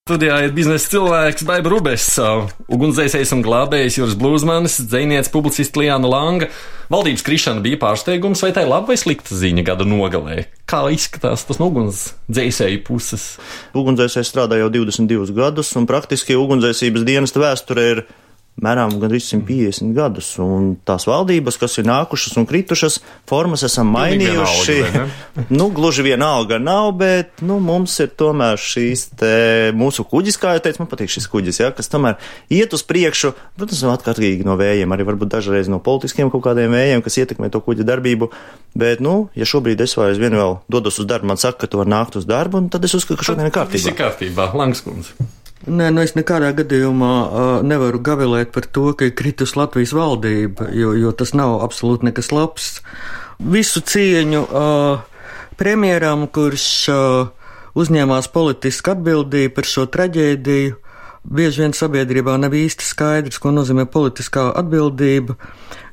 Studijā ir biznesa cilvēks Baiba Rubess, ugunsdzēsējs un glābējs Juris Blūzmanis, dzejniece publicists Liana Langa. Valdības krišana bija pārsteigums, vai tā ir laba vai slikta ziņa gada nogalē? Kā izskatās tas no ugunsdzēsēju puses? Ugunsdzēsējs strādā jau 22 gadus, un praktiski ugunsdzēsības dienesta vēsture ir mērām gandrīz 150 gadus, un tās valdības, kas ir nākušas un kritušas, formas esam mainījuši. Gluži vienalga nav, bet, mums ir tomēr šīs mūsu kuģis, kā jau teicu, man patīk šis kuģis, kas tomēr iet uz priekšu, protams, atkarīgi no vējiem, arī varbūt dažreiz no politiskiem kaut kādiem vējiem, kas ietekmē to kuģa darbību, bet, ja šobrīd es vai aizvien vēl dodos uz darbu, man saka, ka tu var nākt uz darbu, un tad es uzskatu, ka šodien ir kārtībā. Viss ir kārtībā, Langskundze. Nē, es nekādā gadījumā nevaru gavilēt par to, ka ir kritus Latvijas valdība, jo tas nav absolūti nekas labs. Visu cieņu premjeram, kurš uzņēmās politisku atbildību par šo traģēdiju. Bieži vien sabiedrībā nav īsti skaidrs, ko nozīmē politiskā atbildība,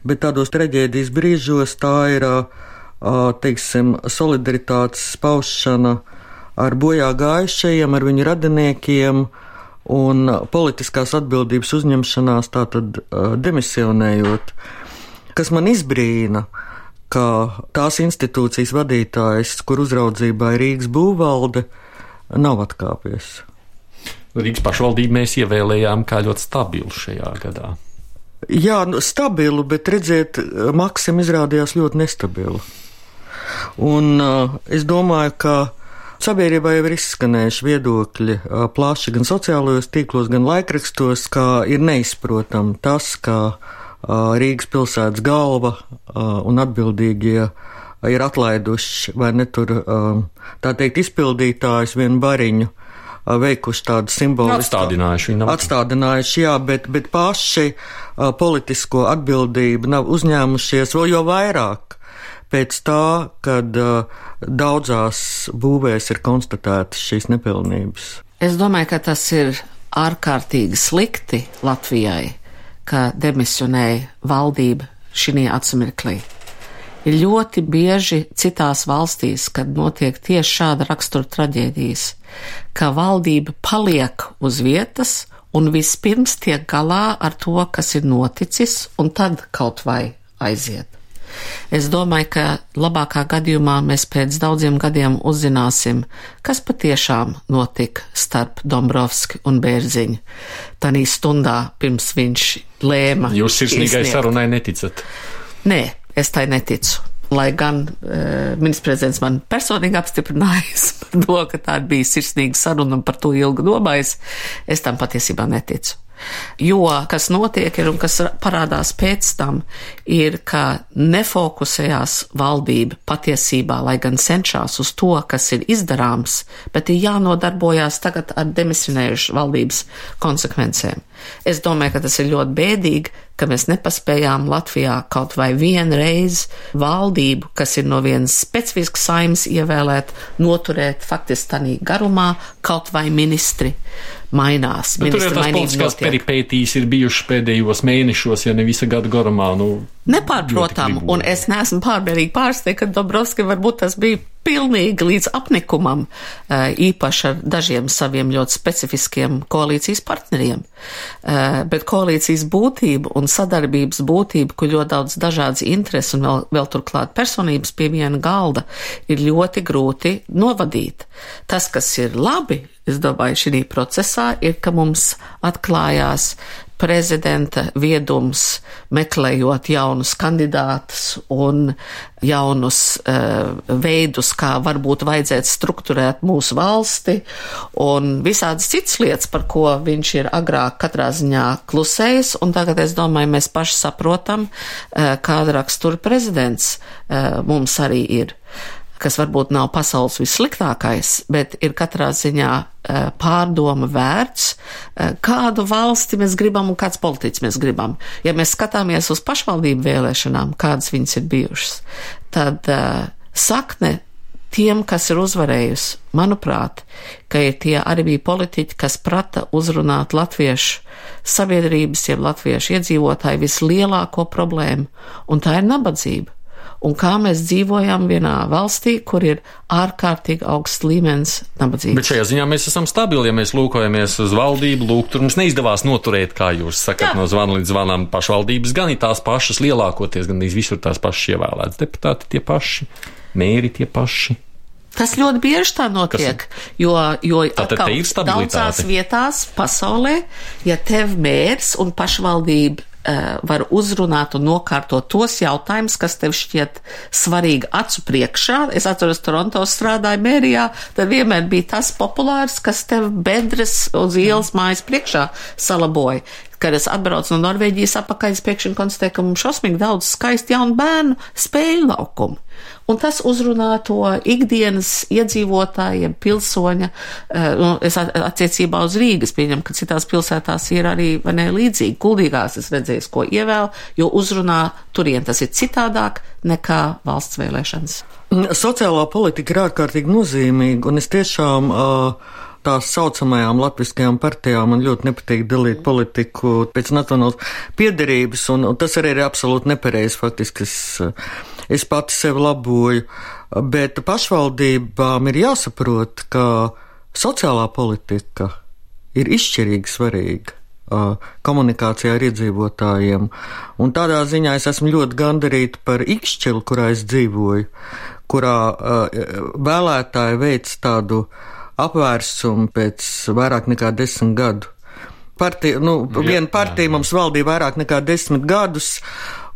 bet tādos traģēdijas brīžos tā ir, solidaritātes paušana ar bojā gājušajiem, ar viņu radiniekiem, un politiskās atbildības uzņemšanās tātad demisionējot. Kas man izbrīna, ka tās institūcijas vadītājs, kur uzraudzībā ir Rīgas būvvalde, nav atkāpies. Rīgas pašvaldību mēs ievēlējām kā ļoti stabilu šajā gadā. Jā, stabilu, bet redziet, Maksim izrādījās ļoti nestabilu. Un es domāju, ka sabiedrībā jau ir izskanējuši viedokļi plaši gan sociālajos tīklos, gan laikrakstos, kā ir neizprotam tas, ka Rīgas pilsētas galva un atbildīgie ir atlaiduši vai ne tur, tā teikt, izpildītājus vienu bariņu, veikuši tādu simbolisku. Atstādinājuši, jā, bet paši politisko atbildību nav uzņēmušies vēl jo vairāk. Pēc tā, kad daudzās būvēs ir konstatētas šīs nepilnības. Es domāju, ka tas ir ārkārtīgi slikti Latvijai, ka demisionēja valdība šī atsimirklī. Ir ļoti bieži citās valstīs, kad notiek tieši šāda rakstura traģēdijas, ka valdība paliek uz vietas un vispirms tiek galā ar to, kas ir noticis, un tad kaut vai aiziet. Es domāju, ka labākā gadījumā mēs pēc daudziem gadiem uzzināsim, kas patiešām notika starp Dombrovski un Bērziņu. Tanī stundā pirms viņš lēma. Jūs sirsnīgai sarunai neticat? Nē, es tai neticu. Lai gan ministrs prezidents man personīgi apstiprinājis par to, ka tā bija sirsnīga saruna un par to ilgi domājis, es tam patiesībā neticu. Jo, kas notiek ir un kas parādās pēc tam, ir, ka nefokusējās valdība patiesībā, lai gan cenšas uz to, kas ir izdarāms, bet ir jānodarbojās tagad ar demisionējušu valdības konsekvencēm. Es domāju, ka tas ir ļoti bēdīgi, ka mēs nepaspējām Latvijā kaut vai vienreiz valdību, kas ir no vienas specifiskas saimnes ievēlēt, noturēt faktiski tanī garumā, kaut vai ministri mainās. Bet tur jau tās politiskās peripētīs ir bijušas pēdējos mēnešos, ja ne visa gada garumā. Nepārprotam, un es neesmu pārmērīgi pārsteigta, ka Dombrovski varbūt tas bija pilnīgi līdz apnikumam, īpaši ar dažiem saviem ļoti specifiskiem koalīcijas partneriem. Bet koalīcijas būtība un sadarbības būtība, kur ļoti daudz dažādas intereses un vēl turklāt personības pie viena galda, ir ļoti grūti novadīt. Tas, kas ir labi, es domāju, šī procesā, ir, ka mums atklājās prezidenta viedums, meklējot jaunus kandidātus un jaunus veidus, kā varbūt vajadzētu strukturēt mūsu valsti, un visādas citas lietas, par ko viņš ir agrāk katrā ziņā klusējis, un tagad, es domāju, mēs paši saprotam, kāda rakstura prezidents mums arī ir, kas varbūt nav pasaules vissliktākais, bet ir katrā ziņā pārdoma vērts, kādu valsti mēs gribam un kāds politiķis mēs gribam. Ja mēs skatāmies uz pašvaldību vēlēšanām, kādas viņas ir bijušas, tad sakne tiem, kas ir uzvarējusi, manuprāt, ka ir tie arī bija politiķi, kas prata uzrunāt latviešu sabiedrības, jeb latviešu iedzīvotāju vislielāko problēmu, un tā ir nabadzība. un kā mēs dzīvojam vienā valstī, kur ir ārkārtīgi augsts līmenis nabadzības. Bet šajā ziņā mēs esam stabili, ja mēs lūkojamies uz valdību, tur mums neizdevās noturēt, kā jūs sakat, no zvana līdz zvanām pašvaldības, gan ir tās pašas lielākoties, gan visur tās pašas ievēlētas deputāti tie paši, mēri tie paši. Tas ļoti bieži tā notiek, jo atkal daudzās vietās pasaulē, ja tev mērs un pašvaldība var uzrunāt un nokārtot tos jautājumus, kas tev šķiet svarīgi acu priekšā. Es atceros, Toronto strādāju mērijā, tad vienmēr bija tas populārs, kas tev bedres uz ielas mājas priekšā salaboja. Kad es atbraucu no Norvēģijas apakaļ, es pēkšņi konstatēju, ka mums šausmīgi daudz skaisti jaunu bērnu spēļu laukumu. Un tas uzrunā to ikdienas iedzīvotājiem, pilsoņa, es attiecībā uz Rīgas pieņemu, ka citās pilsētās ir arī līdzīgi. Kuldīgās es redzēju, ko ievēl, jo uzrunā turien tas ir citādāk nekā valsts vēlēšanas. Sociālā politika ir ārkārtīgi nozīmīga, un es tiešām tās saucamajām latviskajām partijām man ļoti nepatīk dalīt politiku pēc nacionālas piederības, un tas arī ir absolūti nepareizi, faktiski es pati sevi laboju, bet pašvaldībām ir jāsaprot, ka sociālā politika ir izšķirīgi svarīga komunikācijā ar iedzīvotājiem, un tādā ziņā es esmu ļoti gandarīta par Ikšķili, kurā es dzīvoju, kurā vēlētāji veic tādu apvērsumu pēc vairāk nekā 10 gadu. Viena partija mums valdīja vairāk nekā 10 gadus,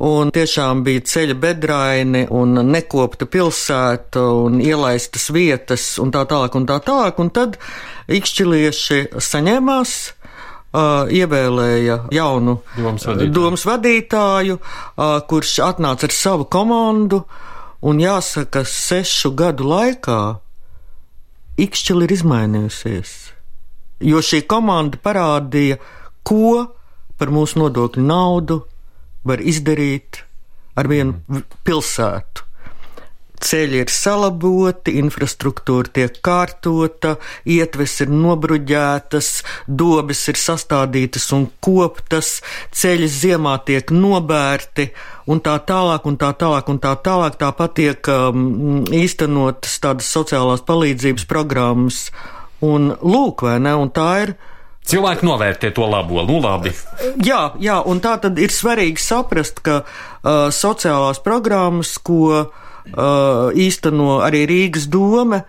un tiešām bija ceļa bedraini, un nekopta pilsēta, un ielaistas vietas, un tā tālāk, un tad ikšķilieši saņēmās, ievēlēja jaunu domas vadītāju, kurš atnāca ar savu komandu, un jāsaka, 6 gadu laikā Ikšķila ir izmainījusies, jo šī komanda parādīja, ko par mūsu nodokļu naudu var izdarīt ar vienu pilsētu. Ceļi ir salaboti, infrastruktūra tiek kārtota, ietves ir nobruģētas, dobes ir sastādītas un koptas, ceļi ziemā tiek nobērti un tā tālāk, un tā tālāk, un tā tālāk. Tāpat tiek īstenotas tādas sociālās palīdzības programmas. Un lūk, vai ne, un tā ir. Cilvēki novērtē to labo, labi. Jā, un tā tad ir svarīgi saprast, ka sociālās programmas, ko īsteno arī Rīgas dome,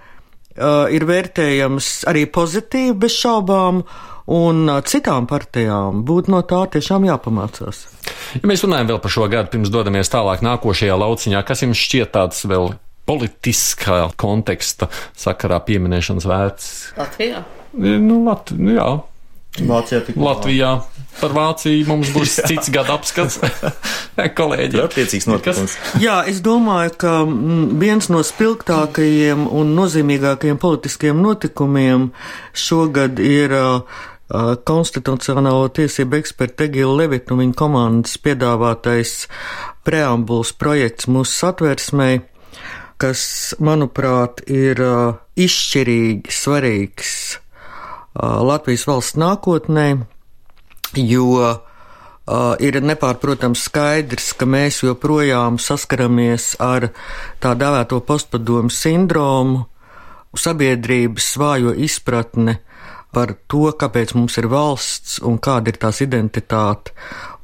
ir vērtējams arī pozitīvi bez šaubām, un citām partijām būtu no tā tiešām jāpamācās. Ja mēs runājam vēl par šo gadu, pirms dodamies tālāk nākošajā lauciņā, kas jums šķiet tāds vēl politiskā konteksta sakarā pieminēšanas vērts? Latvijā? Jā. Latvijā. Par Vāciju mums būs cits gada apskats. Kolēģi. Attiecīgs notikums. Jā, es domāju, ka viens no spilgtākajiem un nozīmīgākajiem politiskiem notikumiem šogad ir konstitucionālo tiesību eksperta Egila Levita un viņa komandas piedāvātais preambulas projekts mūsu satversmei, kas, manuprāt, ir izšķirīgi svarīgs Latvijas valsts nākotnē, jo ir nepārprotams skaidrs, ka mēs joprojām saskaramies ar tā dēvēto postpadomu sindromu, sabiedrības vājo izpratne par to, kāpēc mums ir valsts un kāda ir tās identitāte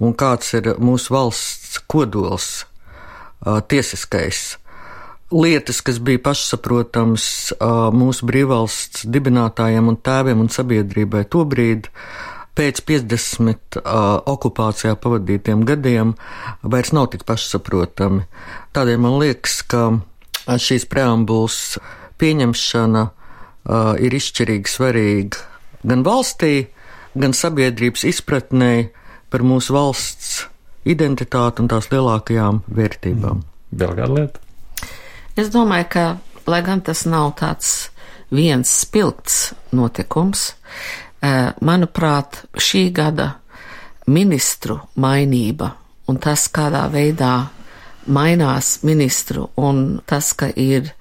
un kāds ir mūsu valsts kodols, tiesiskais. Lietas, kas bija pašsaprotams mūsu brīvvalsts dibinātājiem un tēviem un sabiedrībai tobrīd, pēc 50 okupācijā pavadītiem gadiem, vairs nav tik pašsaprotami. Tādēļ man liekas, ka šīs preambulas pieņemšana ir izšķirīgi svarīga gan valstī, gan sabiedrības izpratnē par mūsu valsts identitāti un tās lielākajām vērtībām. Vēl kāda lieta? Es domāju, ka, lai gan tas nav tāds viens spilgts notikums, manuprāt, šī gada ministru mainība un tas, kādā veidā mainās ministru un tas, ka ir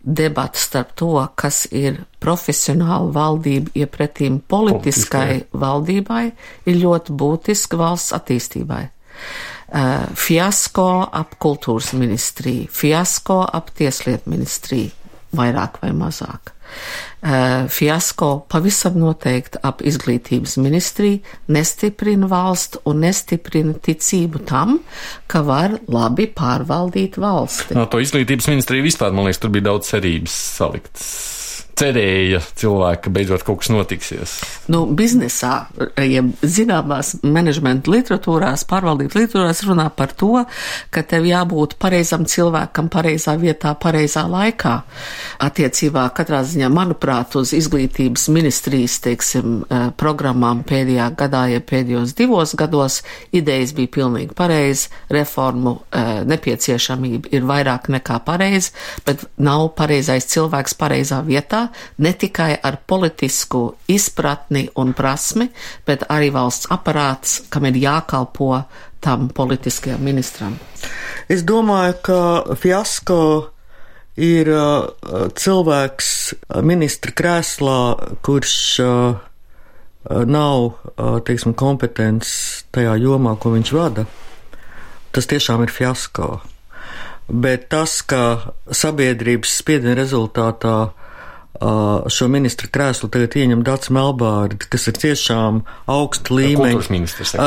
debata starp to, kas ir profesionāla valdība iepretīm politiskai valdībai, ir ļoti būtiski valsts attīstībai. Fiasko ap kultūras ministriju, fiasko ap tieslietu ministriju, vairāk vai mazāk. Fiasko pavisam noteikti ap izglītības ministriju, nestiprina valstu un nestiprina ticību tam, ka var labi pārvaldīt valsti. To izglītības ministriju vispār, man liekas, tur bija daudz cerības saliktas. Cerēja cilvēki, ka beidzot kaut kas notiksies. Biznesā, ja zināmās menedžmenta literatūrās, pārvaldības literatūrās runā par to, ka tev jābūt pareizam cilvēkam pareizā vietā, pareizā laikā. Attiecībā katrā ziņā, manuprāt, uz izglītības ministrijas, teiksim, programmām pēdējā gadā, ja pēdējos 2 gados idejas bija pilnīgi pareizi, reformu nepieciešamība ir vairāk nekā pareizi, bet nav pareizais cilvēks pareizā vietā, ne tikai ar politisku izpratni un prasmi, bet arī valsts aparāts, kam ir jākalpo tam politiskajam ministram. Es domāju, ka Fiasko ir cilvēks ministra krēslā, kurš nav, teiksim, kompetents tajā jomā, ko viņš vada. Tas tiešām ir fiasko. Bet tas, ka sabiedrības spiediena rezultātā šo ministra krēslu tagad ieņem Dats Melbārdi, kas ir tiešām augsta līmeņa,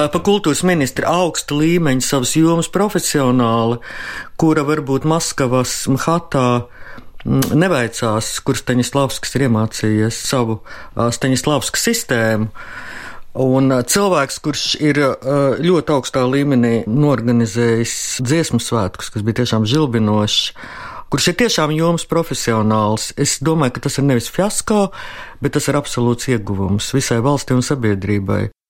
pa kultūras ministra augsta līmeņa savas jomas profesionāli, kura varbūt Maskavas Mhatā neveicās, kur Staņislavskis ir iemācījies savu Staņislavska sistēmu. Un cilvēks, kurš ir ļoti augstā līmenī norganizējis dziesmu svētkus, kas bija tiešām žilbinošs, kurš ir tiešām jomas profesionāls. Es domāju, ka tas ir nevis fiasko, bet tas ir absolūts ieguvums visai valstī un sabiedrībai.